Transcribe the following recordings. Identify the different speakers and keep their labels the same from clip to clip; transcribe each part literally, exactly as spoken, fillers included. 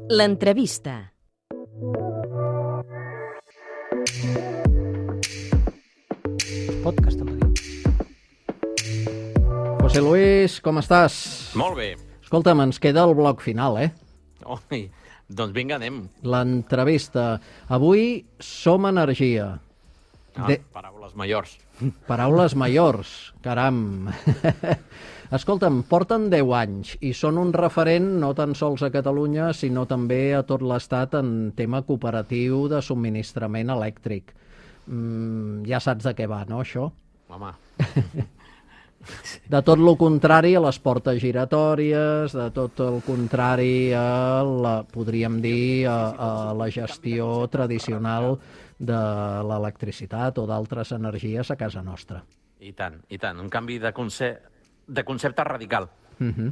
Speaker 1: L'entrevista.
Speaker 2: Podcast, em va dir.
Speaker 3: José Luis, com estàs?
Speaker 4: Molt bé.
Speaker 3: Escolta'm, ens queda el bloc final, eh?
Speaker 4: Oi, doncs vinga, anem.
Speaker 3: L'entrevista. Avui som energia.
Speaker 4: Ah,
Speaker 3: De...
Speaker 4: Paraules majors.
Speaker 3: Paraules majors, caram. Escolta'm, porten deu anys i són un referent no tan sols a Catalunya, sinó també a tot l'Estat en tema cooperatiu de subministrament elèctric. Mm, ja saps de què va, no, això?
Speaker 4: Home.
Speaker 3: De tot el contrari a les portes giratòries, de tot el contrari a, la, podríem dir, a, a la gestió tradicional de l'electricitat o d'altres energies a casa nostra.
Speaker 4: I tant, i tant. Un canvi de, conce... de concepte radical.
Speaker 3: Uh-huh.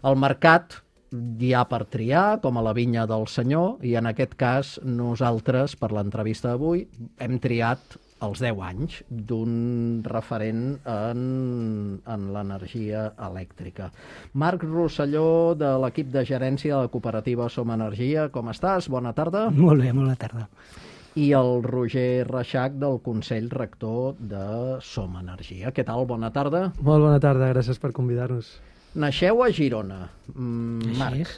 Speaker 3: El mercat hi ha per triar, com a la vinya del senyor, i en aquest cas nosaltres, per l'entrevista d'avui, hem triat els deu anys d'un referent en, en l'energia elèctrica. Marc Rosselló, de l'equip de gerència de la cooperativa Som Energia, com estàs? Bona tarda.
Speaker 2: Molt bé, bona tarda.
Speaker 3: I el Roger Reixac, del Consell Rector de Som Energia. Què tal? Bona tarda.
Speaker 5: Molt bona tarda, gràcies per convidar-nos.
Speaker 3: Naixeu a Girona, mm, Marc.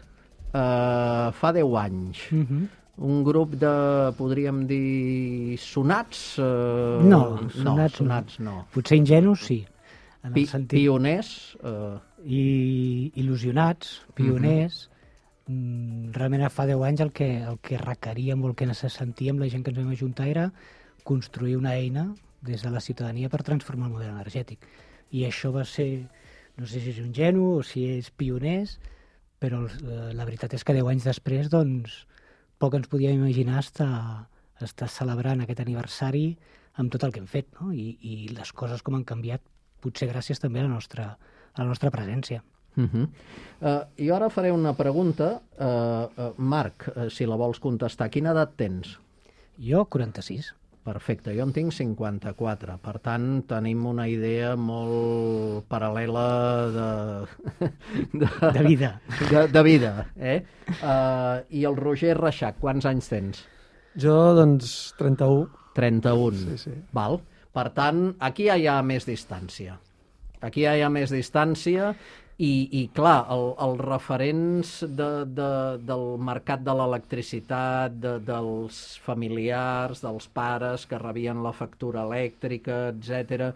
Speaker 3: Uh, fa deu anys.
Speaker 2: Uh -huh.
Speaker 3: Un grup de, podríem dir, sonats? Uh,
Speaker 2: No,
Speaker 3: no,
Speaker 2: sonats,
Speaker 3: sonats no.
Speaker 2: no. Potser ingenus, sí. En el
Speaker 3: Pi
Speaker 2: sentit...
Speaker 3: Pioners? Uh...
Speaker 2: I il·lusionats, pioners. Uh -huh. Realment fa deu anys el que, el que requeríem o el que sentíem la gent que ens vam ajuntar era construir una eina des de la ciutadania per transformar el model energètic. I això va ser, no sé si és ingenu o si és pioners, però eh, la veritat és que deu anys després, doncs, poc ens podíem imaginar estar, estar celebrant aquest aniversari amb tot el que hem fet, no? I, i les coses com han canviat, potser gràcies també a la nostra, a la nostra presència.
Speaker 3: Uh -huh. uh, jo ara faré una pregunta. Uh, uh, Marc, uh, si la vols contestar, quina edat tens?
Speaker 2: Jo, quaranta-sis.
Speaker 3: Perfecte, jo en tinc cinquanta-quatre, per tant tenim una idea molt paral·lela de...
Speaker 2: De, de vida.
Speaker 3: De, de vida, eh? Uh, I el Roger Reixac, quants anys tens?
Speaker 5: Jo, doncs, trenta-u.
Speaker 3: trenta-un.
Speaker 5: Sí, sí.
Speaker 3: Val. Per tant, aquí ja hi ha més distància. Aquí ja hi ha més distància i, i clar, el, els referents de, de, del mercat de l'electricitat, de, dels familiars, dels pares que rebien la factura elèctrica, etcètera.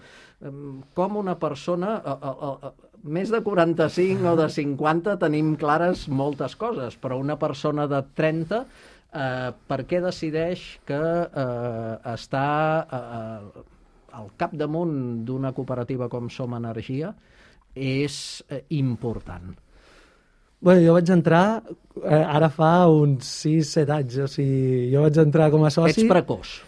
Speaker 3: Com una persona... A, a, a, més de quaranta-cinc o de cinquanta tenim clares moltes coses, però una persona de trenta, eh, per què decideix que eh, està eh, al capdamunt d'una cooperativa com Som Energia és eh, important?
Speaker 5: Bé, jo vaig entrar eh, ara fa uns sis set anys, o sigui, jo vaig entrar com a soci...
Speaker 3: Ets precoç.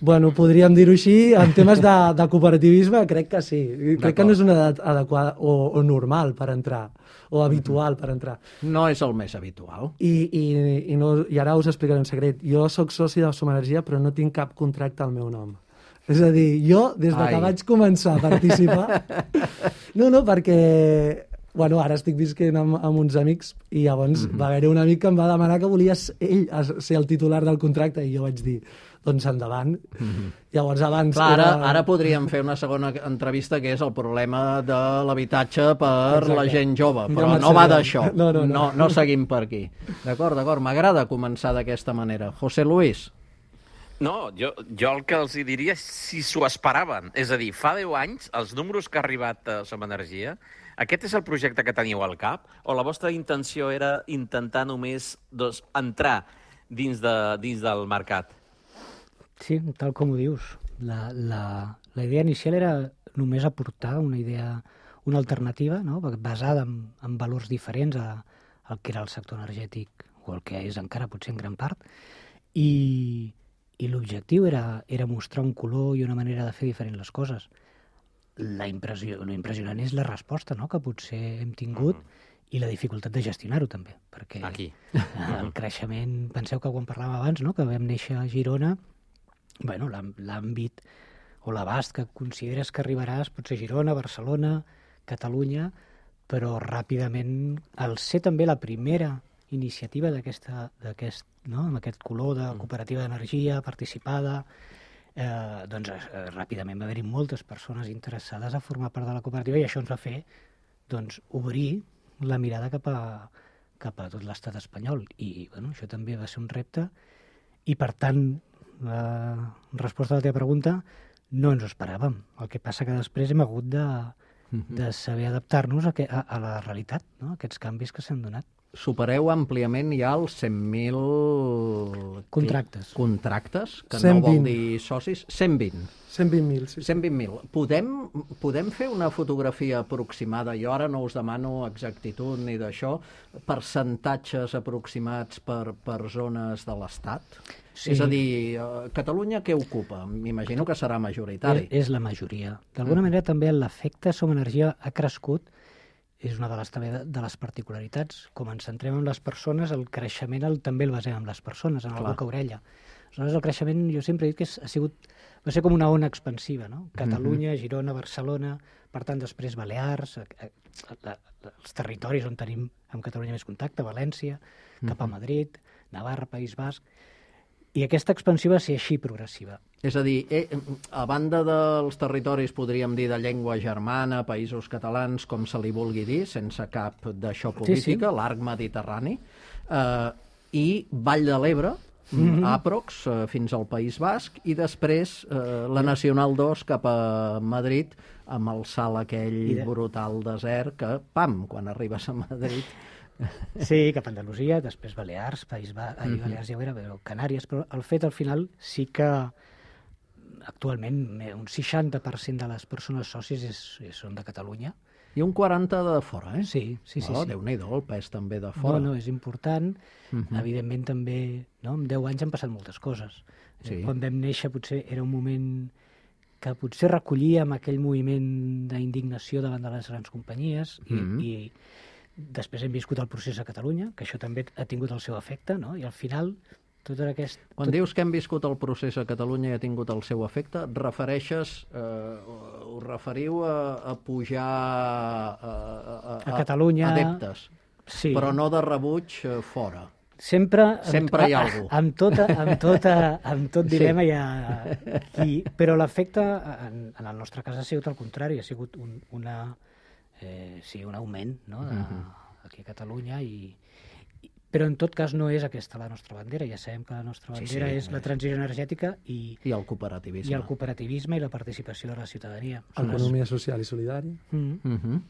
Speaker 5: Bueno, podríem dir-ho així, en temes de, de cooperativisme crec que sí. Crec que no és una edat adequada o, o normal per entrar, o habitual per entrar.
Speaker 3: No és el més habitual.
Speaker 5: I, i, i, no, i ara us explicaré un secret. Jo sóc soci de Som Energia, però no tinc cap contracte al meu nom. És a dir, jo, des de
Speaker 3: Ai.
Speaker 5: que vaig començar a participar... No, no, perquè... Bueno, ara estic visquent amb, amb uns amics i llavors mm-hmm. va haver un amic que em va demanar que volia ell ser el titular del contracte i jo vaig dir, doncs endavant. Mm-hmm. Llavors abans...
Speaker 3: Clar, ara,
Speaker 5: era...
Speaker 3: ara podríem fer una segona entrevista que és el problema de l'habitatge per
Speaker 5: Exacte.
Speaker 3: La gent jove, però
Speaker 5: Ja
Speaker 3: no va d'això.
Speaker 5: No, no, no.
Speaker 3: no, no seguim per aquí. D'acord, d'acord, m'agrada començar d'aquesta manera. José Luis.
Speaker 4: No, jo, jo el que els hi diria és si s'ho esperaven. És a dir, fa deu anys, els números que ha arribat a Som Energia, aquest és el projecte que teníeu al cap? O la vostra intenció era intentar només doncs, entrar dins, de, dins del mercat?
Speaker 2: Sí, tal com ho dius. La, la, la idea inicial era només aportar una idea, una alternativa, no? Basada en, en valors diferents a, al que era el sector energètic, o el que és encara potser en gran part, i, i l'objectiu era, era mostrar un color i una manera de fer diferent les coses. La impressió, lo impressionant és la resposta, no?, que potser hem tingut, mm-hmm. i la dificultat de gestionar-ho també, perquè
Speaker 4: Aquí.
Speaker 2: el creixement, penseu que quan parlàvem abans, no?, que vam néixer a Girona, bueno, l'àmbit o l'abast que consideres que arribaràs pot ser Girona, Barcelona, Catalunya, però ràpidament, al ser també la primera iniciativa d'aquesta, d'aquest, no? amb aquest color de cooperativa d'energia participada, eh, doncs eh, ràpidament va haver-hi moltes persones interessades a formar part de la cooperativa i això ens va fer doncs, obrir la mirada cap a, cap a tot l'estat espanyol. I bueno, això també va ser un repte i, per tant, la resposta a la teva pregunta, no ens ho esperàvem. El que passa que després hem hagut de, de saber adaptar-nos a, que, a, a la realitat, no? A aquests canvis que s'han donat.
Speaker 3: Supereu àmpliament ja els cent mil...
Speaker 2: Contractes.
Speaker 3: Contractes, que
Speaker 5: cent
Speaker 3: no vol
Speaker 5: vint.
Speaker 3: dir socis. cent vint.
Speaker 5: cent vint mil, sí.
Speaker 3: cent vint mil. Podem, podem fer una fotografia aproximada? Jo ara no us demano exactitud ni d'això, percentatges aproximats per, per zones de l'Estat?
Speaker 2: Sí.
Speaker 3: És a dir, eh, Catalunya què ocupa? M'imagino que serà majoritari.
Speaker 2: És, és la majoria. D'alguna mm. manera també l'efecte Som Energia ha crescut, és una de les, també de, de les particularitats. Com ens centrem en les persones, el creixement el, també el basem en les persones, en el boca-orella. Aleshores, el creixement, jo sempre he dit que és, ha sigut, va ser com una ona expansiva, no? Catalunya, mm-hmm. Girona, Barcelona, per tant, després Balears, a, a, a, a, els territoris on tenim amb Catalunya més contacte, València, mm-hmm. cap a Madrid, Navarra, País Basc. I aquesta expansió va ser així progressiva.
Speaker 3: És a dir, eh, a banda dels territoris, podríem dir, de llengua germana, països catalans, com se li vulgui dir, sense cap d'això política, sí, sí. l'arc mediterrani, eh, i Vall de l'Ebre, mm-hmm. aprox, eh, fins al País Basc, i després eh, la Nacional dos cap a Madrid, amb el salt aquell de... brutal desert, que, pam, quan arribes a Madrid...
Speaker 2: Sí, cap a Andalusia, després Balears, País Ba... Ahir Balears ja ho era, però Canàries, però el fet al final sí que actualment un seixanta per cent de les persones socis és, és, són de Catalunya.
Speaker 3: I un quaranta de fora, eh?
Speaker 2: Sí, sí, sí.
Speaker 3: Oh,
Speaker 2: sí.
Speaker 3: Déu-n'hi-do, el pes també de fora.
Speaker 2: No, no, és important. Uh-huh. Evidentment també, no? En deu anys han passat moltes coses. Sí. Quan vam néixer potser era un moment que potser recollíem aquell moviment d'indignació davant de les grans companyies i, uh-huh. i després hem viscut el procés a Catalunya, que això també ha tingut el seu efecte, no? I al final, tot aquest...
Speaker 3: Quan tot... dius que hem viscut el procés a Catalunya i ha tingut el seu efecte, refereixes, eh, us referiu a, a pujar a, a, a,
Speaker 2: a Catalunya...
Speaker 3: adeptes,
Speaker 2: sí.
Speaker 3: Però no de rebuig eh, fora.
Speaker 2: Sempre,
Speaker 3: Sempre hi ha algú.
Speaker 2: Amb, tota, amb, tota, amb tot dilema sí. hi ha qui... Però l'efecte, en, en el nostre cas, ha sigut el contrari, ha sigut un, una... Eh, sí, un augment, no? de, uh-huh. aquí a Catalunya i, i, però en tot cas no és aquesta la nostra bandera, ja sabem que la nostra bandera sí, sí, és la transició energètica i,
Speaker 3: i el cooperativisme
Speaker 2: i el cooperativisme i la participació de la ciutadania.
Speaker 5: Economia social i solidària.
Speaker 2: Mm.
Speaker 3: Uh-huh.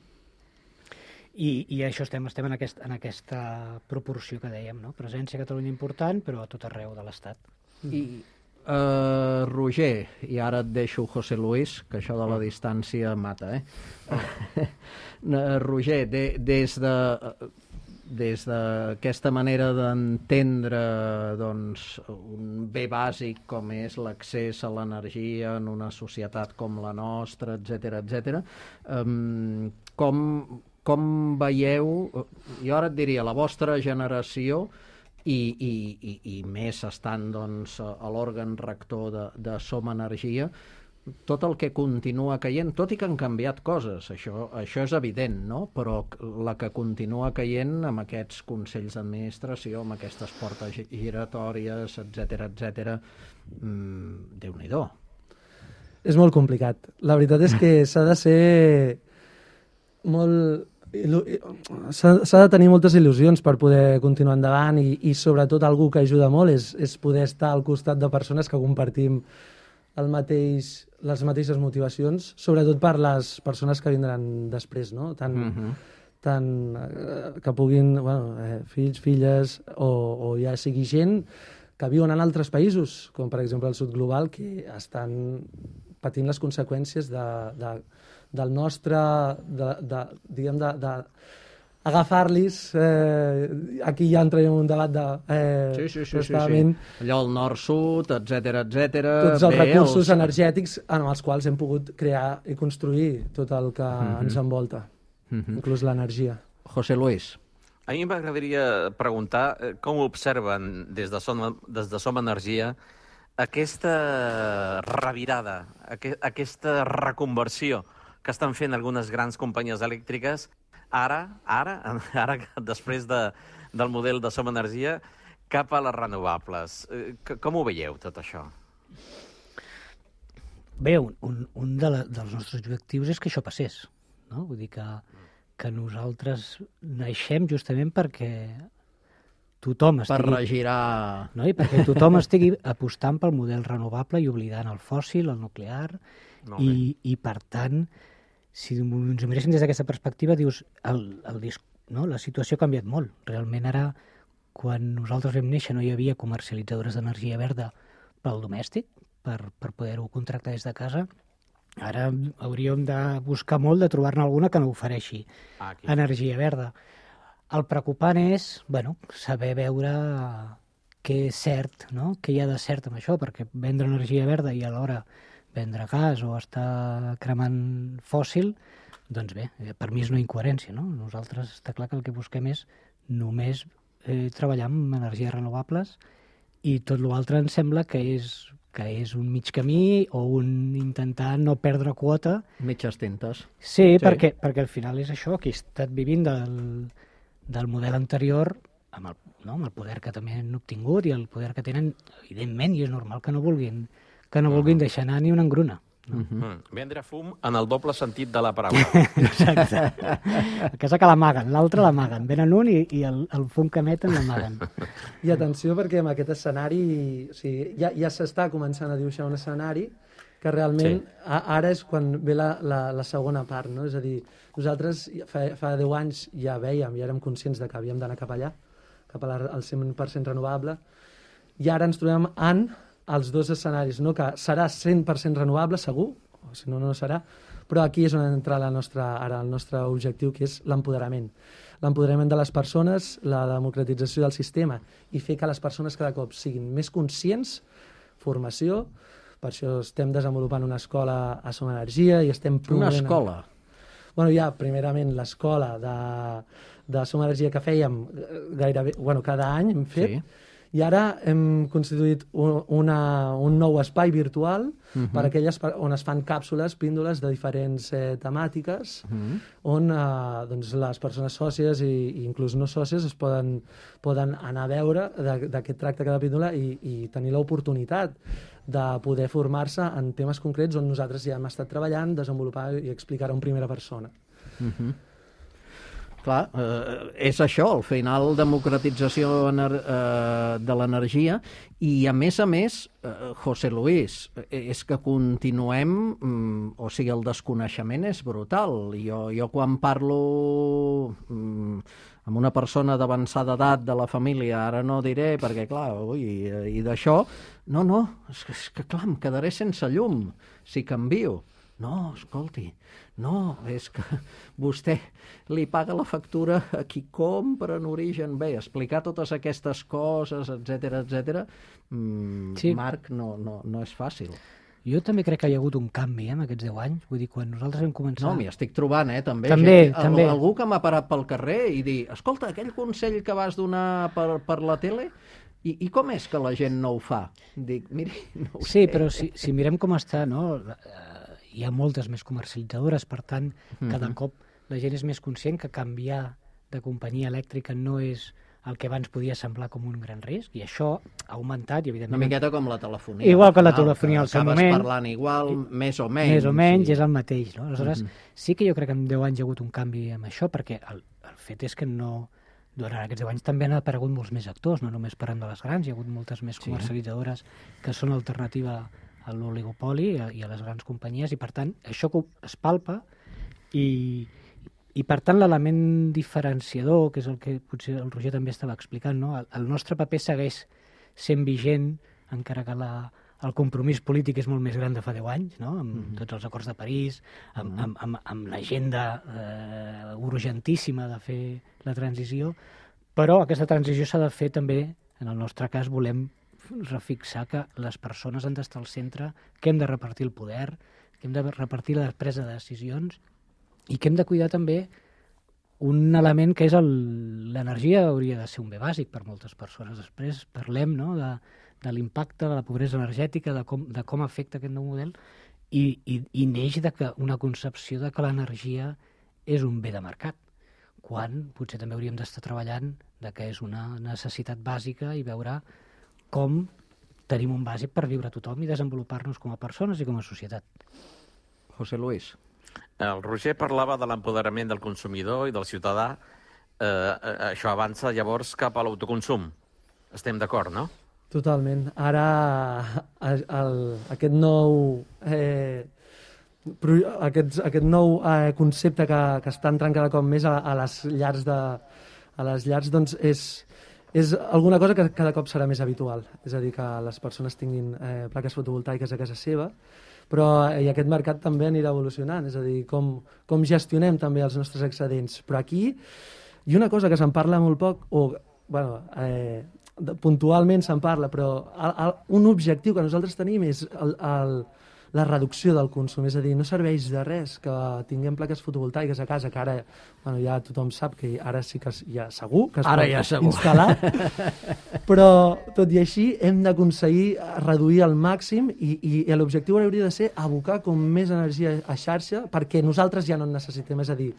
Speaker 2: I, i això estem, estem en, aquest, en aquesta proporció que dèiem, no? Presència a Catalunya important, però a tot arreu de l'Estat.
Speaker 3: I Uh, Roger, i ara et deixo José Luis, que això de la distància mata, eh? uh, Roger, de, des de des d'aquesta manera d'entendre doncs, un bé bàsic com és l'accés a l'energia en una societat com la nostra, etcètera, etcètera, um, com, com veieu, jo ara et diria, la vostra generació I, i, i, i més estant doncs, a l'òrgan rector de, de Som Energia, tot el que continua caient, tot i que han canviat coses, això, això és evident, no? Però la que continua caient amb aquests consells d'administració, amb aquestes portes giratòries, etcètera, etcètera, mmm, Déu-n'hi-do.
Speaker 5: És molt complicat. La veritat és que s'ha de ser molt... S'ha de tenir moltes il·lusions per poder continuar endavant i, i sobretot algú que ajuda molt és, és poder estar al costat de persones que compartim el mateix, les mateixes motivacions, sobretot per les persones que vindran després, no? Tant, uh-huh. tant eh, que puguin, bueno, eh, fills, filles, o, o ja sigui gent que viuen en altres països, com per exemple el sud global, que estan patint les conseqüències de, de del nostre, de, de, diguem, de, de agafar-los, eh, aquí ja entrarem en un debat de... Eh,
Speaker 3: sí, sí, sí, sí, sí. Allò el nord-sud, etcètera, etcètera.
Speaker 5: Tots els
Speaker 3: Bé,
Speaker 5: recursos
Speaker 3: els...
Speaker 5: energètics en els quals hem pogut crear i construir tot el que uh-huh. ens envolta, uh-huh. inclús l'energia.
Speaker 3: José Luis.
Speaker 4: A mi m'agradaria preguntar com observen des de Som, des de Som Energia aquesta revirada, aquesta reconversió que estan fent algunes grans companyies elèctriques ara, ara, ara després de, del model de Som Energia, cap a les renovables. Eh, Com ho veieu, tot això?
Speaker 2: Bé, un, un, un de la, dels nostres objectius és que això passés, no? Vull dir que, que nosaltres naixem justament perquè tothom
Speaker 3: Per
Speaker 2: estigui...
Speaker 3: regirar...
Speaker 2: No? I perquè tothom estigui apostant pel model renovable i oblidant el fòssil, el nuclear,
Speaker 4: Molt bé.
Speaker 2: i, i per tant, si ens ho miréssim des d'aquesta perspectiva, dius, el, el disc, no? La situació ha canviat molt. Realment ara, quan nosaltres vam néixer, no hi havia comercialitzadores d'energia verda pel domèstic, per, per poder-ho contractar des de casa. Ara hauríem de buscar molt de trobar-ne alguna que no ofereixi
Speaker 4: Ah, aquí.
Speaker 2: energia verda. El preocupant és, bueno, saber veure què és cert, no? Què hi ha de cert amb això, perquè vendre energia verda i alhora vendre gas o estar cremant fòssil, doncs bé, per mi és una incoherència, no? Nosaltres està clar que el que busquem és només eh, treballar amb energies renovables i tot l'altre ens sembla que és que és un mig camí o un intentar no perdre quota.
Speaker 3: Mitges tintes.
Speaker 2: Sí,
Speaker 3: Sí.
Speaker 2: perquè, perquè al final és això, que he estat vivint del, del model anterior amb el, no, amb el poder que també han obtingut i el poder que tenen, evidentment, i és normal que no vulguin, que no vulguin deixar anar ni una engruna. No?
Speaker 4: Mm. Vendre fum en el doble sentit de la paraula.
Speaker 2: Exacte. A casa que l'amaguen, l'altre l'amaguen. Venen un i, i el, el fum que emeten l'amaguen.
Speaker 5: I atenció perquè amb aquest escenari o sigui, ja, ja s'està començant a dibuixar un escenari que realment
Speaker 4: Sí.
Speaker 5: a, ara és quan ve la, la, la segona part, no? És a dir, nosaltres fa, fa deu anys ja vèiem, ja érem conscients de que havíem d'anar cap allà, cap a la, al cent per cent renovable, i ara ens trobem en els dos escenaris, no? Que serà cent per cent renovable, segur, o si no, no serà, però aquí és on entra la nostra, ara el nostre objectiu, que és l'empoderament. L'empoderament de les persones, la democratització del sistema i fer que les persones cada cop siguin més conscients, formació, per això estem desenvolupant una escola a Som Energia i estem
Speaker 3: Una
Speaker 5: promovent...
Speaker 3: escola.
Speaker 5: Bueno, hi ha primerament l'escola de, de Som Energia que fèiem eh, gairebé, bueno, cada any hem fet,
Speaker 3: Sí.
Speaker 5: i ara hem constituït un, una, un nou espai virtual uh-huh. per aquelles per, on es fan càpsules, píndoles de diferents eh, temàtiques, uh-huh. on eh, doncs, les persones sòcies i, i inclús no sòcies es poden, poden anar a veure de, de què tracta cada píndola i, i tenir l'oportunitat de poder formar-se en temes concrets on nosaltres ja hem estat treballant, desenvolupar i explicar en primera persona.
Speaker 3: Uh-huh. Clar, eh, és això, al final, democratització ener eh, de l'energia i, a més a més, eh, José Luis, és que continuem, mm, o sigui, el desconeixement és brutal. Jo, jo quan parlo mm, amb una persona d'avançada edat de la família, ara no diré, perquè, clar, ui, i d'això, no, no, és que, és que, clar, em quedaré sense llum si canvio. No, escolti, no, és que vostè li paga la factura a qui compra en origen. Bé, explicar totes aquestes coses, etcètera, etcètera, mm,
Speaker 2: Sí.
Speaker 3: Marc, no, no, no és fàcil.
Speaker 2: Jo també crec que hi ha hagut un canvi eh, en aquests deu anys. Vull dir, quan nosaltres vam començar...
Speaker 3: No, m'hi estic trobant, eh, també.
Speaker 2: També,
Speaker 3: gent,
Speaker 2: també.
Speaker 3: Algú que m'ha parat pel carrer i dir, escolta, aquell consell que vas donar per, per la tele, i, i com és que la gent no ho fa? Dic, miri, no ho
Speaker 2: Sí,
Speaker 3: sé.
Speaker 2: però si, si mirem com està, no? Eh, hi ha moltes més comercialitzadores, per tant, cada
Speaker 3: Mhm.
Speaker 2: cop la gent és més conscient que canviar de companyia elèctrica no és el que abans podia semblar com un gran risc, i això ha augmentat, i
Speaker 3: Una
Speaker 2: evidentment...
Speaker 3: miqueta com la telefonia.
Speaker 2: Igual que la
Speaker 3: al final,
Speaker 2: telefonia al seu
Speaker 3: acabes
Speaker 2: moment.
Speaker 3: parlant igual, més o menys.
Speaker 2: Més o menys,
Speaker 3: i-
Speaker 2: és el mateix. No? Aleshores,
Speaker 3: Mhm.
Speaker 2: sí que jo crec que en deu anys hi ha hagut un canvi amb això, perquè el, el fet és que no... Durant aquests deu anys també han aparegut molts més actors, no només parlant de les grans, hi ha hagut moltes més
Speaker 3: Sí.
Speaker 2: comercialitzadores que són alternativa a l'oligopoli i, a- i a les grans companyies, i per tant això que es palpa i, i per tant l'element diferenciador, que és el que potser el Roger també estava explicant, no? el, el nostre paper segueix sent vigent, encara que la, el compromís polític és molt més gran de fa deu anys, no? Amb
Speaker 3: Mhm.
Speaker 2: tots els acords de París, amb, amb, amb, amb l'agenda eh, urgentíssima de fer la transició, però aquesta transició s'ha de fer també, en el nostre cas volem refixar que les persones han d'estar al centre, que hem de repartir el poder, que hem de repartir la presa de decisions i que hem de cuidar també un element que és el- l'energia hauria de ser un bé bàsic per moltes persones. Després parlem no, de, de l'impacte de la pobresa energètica, de com, de com afecta aquest nou model i, i, i neix de que una concepció de que l'energia és un bé de mercat, quan potser també hauríem d'estar treballant de que és una necessitat bàsica i veure com tenim un bàsic per viure tothom i desenvolupar-nos com a persones i com a societat.
Speaker 3: José Luis.
Speaker 4: El Roger parlava de l'empoderament del consumidor i del ciutadà. Eh, això avança llavors cap a l'autoconsum. Estem d'acord, no?
Speaker 5: Totalment. Ara el, el, aquest nou eh, aquest, aquest nou eh, concepte que, que està entrant cada cop més a, a les llars de, a les llars, doncs és, és alguna cosa que cada cop serà més habitual. És a dir, que les persones tinguin eh, plaques fotovoltaiques a casa seva, però i aquest mercat també anirà evolucionant, és a dir, com, com gestionem també els nostres excedents. Però aquí, i una cosa que se'n parla molt poc, o bueno, eh, puntualment se'n parla, però el, el, un objectiu que nosaltres tenim és el, el, la reducció del consum, és a dir, no serveix de res que tinguem plaques fotovoltaiques a casa, que ara bueno, ja tothom sap que ara sí que ja segur que es
Speaker 3: ara
Speaker 5: pot
Speaker 3: ja segur.
Speaker 5: instal·lar, però tot i així hem d'aconseguir reduir al màxim i, i, i l'objectiu hauria de ser abocar com més energia a xarxa perquè nosaltres ja no en necessitem, és a dir,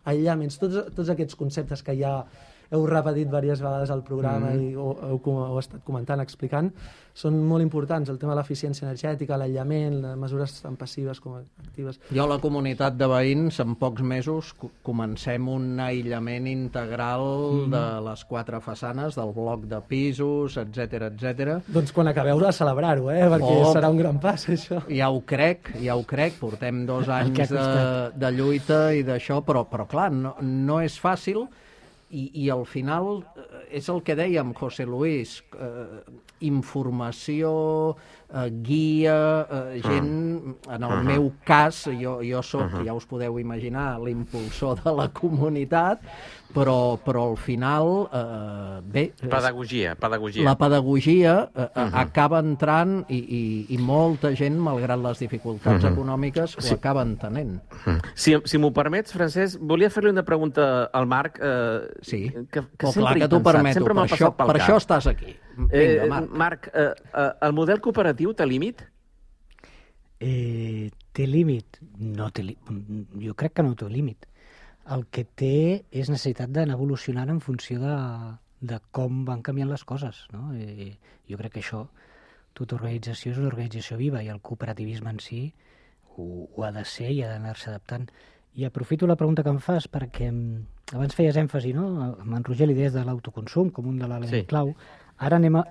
Speaker 5: aïllaments, tots, tots aquests conceptes que ja heu repetit diverses vegades al programa mm. i ho, heu, heu estat comentant, explicant, són molt importants. El tema de l'eficiència energètica, l'aïllament, mesures tant passives com actives.
Speaker 3: Jo a la comunitat de veïns, en pocs mesos, comencem un aïllament integral mm. de les quatre façanes, del bloc de pisos, etcètera, etcètera.
Speaker 5: Doncs quan acabeu de celebrar-ho, eh? perquè oh, serà un gran pas, això.
Speaker 3: Ja ho crec, ja ho crec. Portem dos anys de, de lluita i d'això, però, però clar, no, no és fàcil. I, i al final és el que dèiem, José Luis, eh, informació, eh, guia, eh, gent, en el uh -huh. meu cas, jo, jo soc, uh -huh. ja us podeu imaginar, l'impulsor de la comunitat, però, però al final, eh, bé...
Speaker 4: Pedagogia, pedagogia.
Speaker 3: La pedagogia eh, uh -huh. acaba entrant i, i, i molta gent, malgrat les dificultats uh -huh. econòmiques, ho sí. acaba entenent.
Speaker 4: Uh -huh. Si, si m'ho permets, Francesc, volia fer-li una pregunta al Marc. Eh,
Speaker 3: sí,
Speaker 4: que, que
Speaker 3: oh, clar que t'ho permeto, per, això, per això estàs aquí. Vinga, Marc.
Speaker 4: Eh, Marc, eh, eh, el model cooperatiu té límit?
Speaker 2: Eh, té límit? No té límit. Jo crec que no té límit. El que té és necessitat d'anar evolucionant en funció de, de com van canviant les coses. No? Eh, jo crec que això, tota organització és una organització viva i el cooperativisme en si ho, ho ha de ser i ha d'anar-se adaptant. I aprofito la pregunta que em fas perquè abans feies èmfasi, no? Amb en Roger, l'idees de l'autoconsum com un de l'element sí. clau. Ara anem a...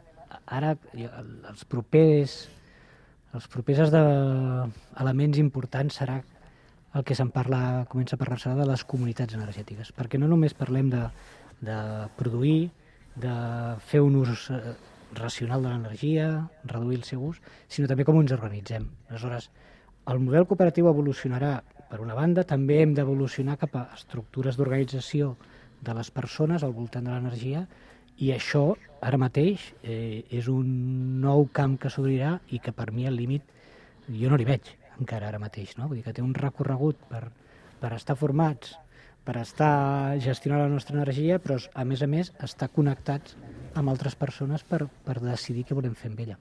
Speaker 2: Ara, els propers... Els propers esdeveniments importants serà el que se'n parla, comença a parlar-se de les comunitats energètiques, perquè no només parlem de, de produir, de fer un ús racional de l'energia, reduir el seu ús, sinó també com ens organitzem. Aleshores, el model cooperatiu evolucionarà, per una banda, també hem d'evolucionar cap a estructures d'organització de les persones al voltant de l'energia, i això, ara mateix, eh, és un nou camp que s'obrirà i que per mi el límit jo no li veig encara ara mateix, no? Vull dir que té un recorregut per, per estar formats, per estar gestionant la nostra energia, però a més a més estar connectats amb altres persones per, per decidir què volem fer amb ella.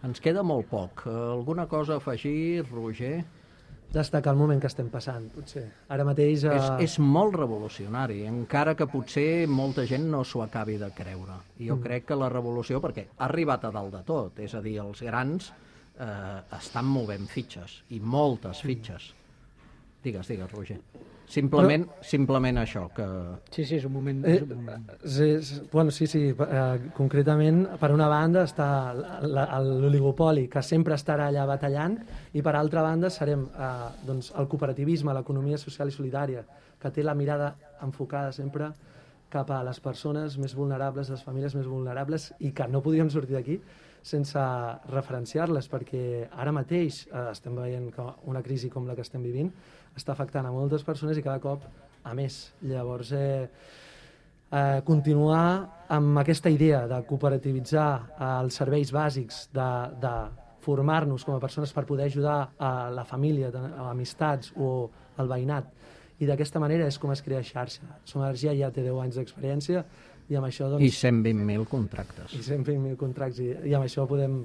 Speaker 3: Ens queda molt poc. Alguna cosa a afegir, Roger?
Speaker 5: Destacar el moment que estem passant, potser. Ara mateix... Eh...
Speaker 3: És, és molt revolucionari, encara que potser molta gent no s'ho acabi de creure. Jo mm. crec que la revolució, perquè ha arribat a dalt de tot, és a dir, els grans eh, estan movent fitxes, i moltes fitxes. Digues, digues, Roger. Simplement, Però... simplement això, que...
Speaker 2: Sí, sí, és un moment...
Speaker 5: Eh,
Speaker 2: és un moment.
Speaker 5: És, és, bueno, sí, sí, eh, concretament, per una banda està l'oligopoli, que sempre estarà allà batallant, i per altra banda serem eh, doncs, el cooperativisme, l'economia social i solidària, que té la mirada enfocada sempre cap a les persones més vulnerables, les famílies més vulnerables, i que no podríem sortir d'aquí sense referenciar-les, perquè ara mateix eh, estem veient que una crisi com la que estem vivint està afectant a moltes persones i cada cop a més. Llavors, eh, eh, continuar amb aquesta idea de cooperativitzar eh, els serveis bàsics, de, de formar-nos com a persones per poder ajudar a la família, a amistats o al veïnat, i d'aquesta manera és com es crea xarxa. Som Energia ja té deu anys d'experiència i amb això doncs...
Speaker 3: I cent vint mil contractes.
Speaker 5: I cent vint mil contractes, i, i amb això podem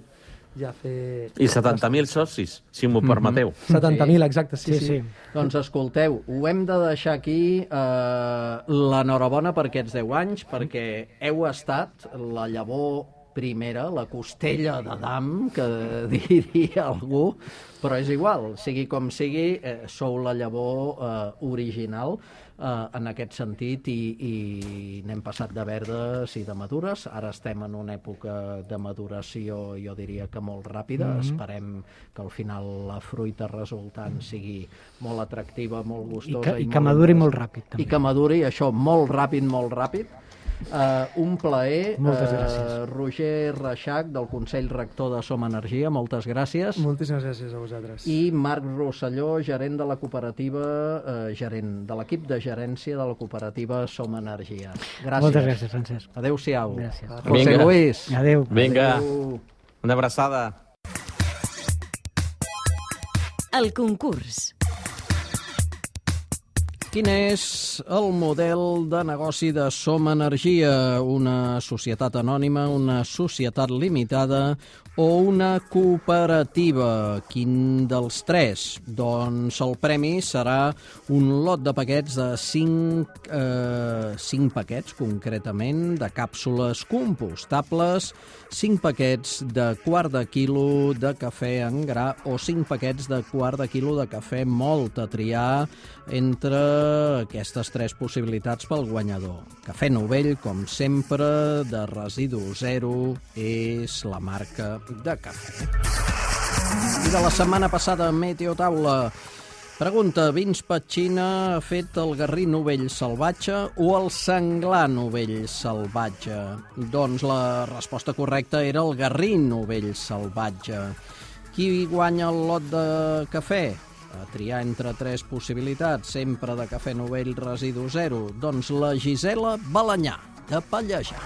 Speaker 5: ja fer...
Speaker 4: I setanta mil socis, si m'ho permeteu.
Speaker 5: setanta mil, exacte, sí,
Speaker 2: Sí,
Speaker 5: sí.
Speaker 2: sí.
Speaker 3: Doncs escolteu, ho hem de deixar aquí, eh, l'enhorabona per aquests deu anys, perquè heu estat la llavor primera, la costella d'Adam, que diria algú, però és igual, sigui com sigui, eh, sou la llavor eh, original eh, en aquest sentit i, i n'hem passat de verdes i de madures. Ara estem en una època de maduració, jo diria que molt ràpida. Mm-hmm. Esperem que al final la fruita resultant sigui molt atractiva, molt
Speaker 2: I
Speaker 3: gustosa.
Speaker 2: que, i que maduri molt ràpid, també.
Speaker 3: I que maduri, això, molt ràpid, molt ràpid. Uh, un plaer.
Speaker 2: Moltes gràcies.
Speaker 3: Uh, Roger Reixac, del Consell Rector de Som Energia, moltes gràcies.
Speaker 5: Moltíssimes gràcies a vosaltres.
Speaker 3: I Marc Rosselló, gerent de la cooperativa, uh, gerent de l'equip de gerència de la cooperativa Som Energia. Gràcies.
Speaker 2: Moltes gràcies, Francesc.
Speaker 3: Adéu-siau.
Speaker 2: Gràcies.
Speaker 3: José
Speaker 4: Vinga.
Speaker 3: Luis.
Speaker 2: Adéu.
Speaker 4: Vinga,
Speaker 3: Adéu.
Speaker 4: una abraçada.
Speaker 1: El concurs.
Speaker 3: Quin és el model de negoci de Som Energia? Una societat anònima, una societat limitada o una cooperativa? Quin dels tres? Doncs el premi serà un lot de paquets de cinc, eh, cinc paquets, concretament, de càpsules compostables, cinc paquets de quart de quilo de cafè en gra o cinc paquets de quart de quilo de cafè mòlt, a triar entre aquestes tres possibilitats pel guanyador. Cafè Novell, com sempre, de residu zero, és la marca de cafè. I de la setmana passada, Meteotaula. Pregunta, Vins Petxina ha fet el garrí novell salvatge o el senglar novell salvatge? Doncs la resposta correcta era el garrí novell salvatge. Qui guanya el lot de cafè? A triar entre tres possibilitats, sempre de cafè novell residu zero. Doncs la Gisela Balanyà, de Pallejà.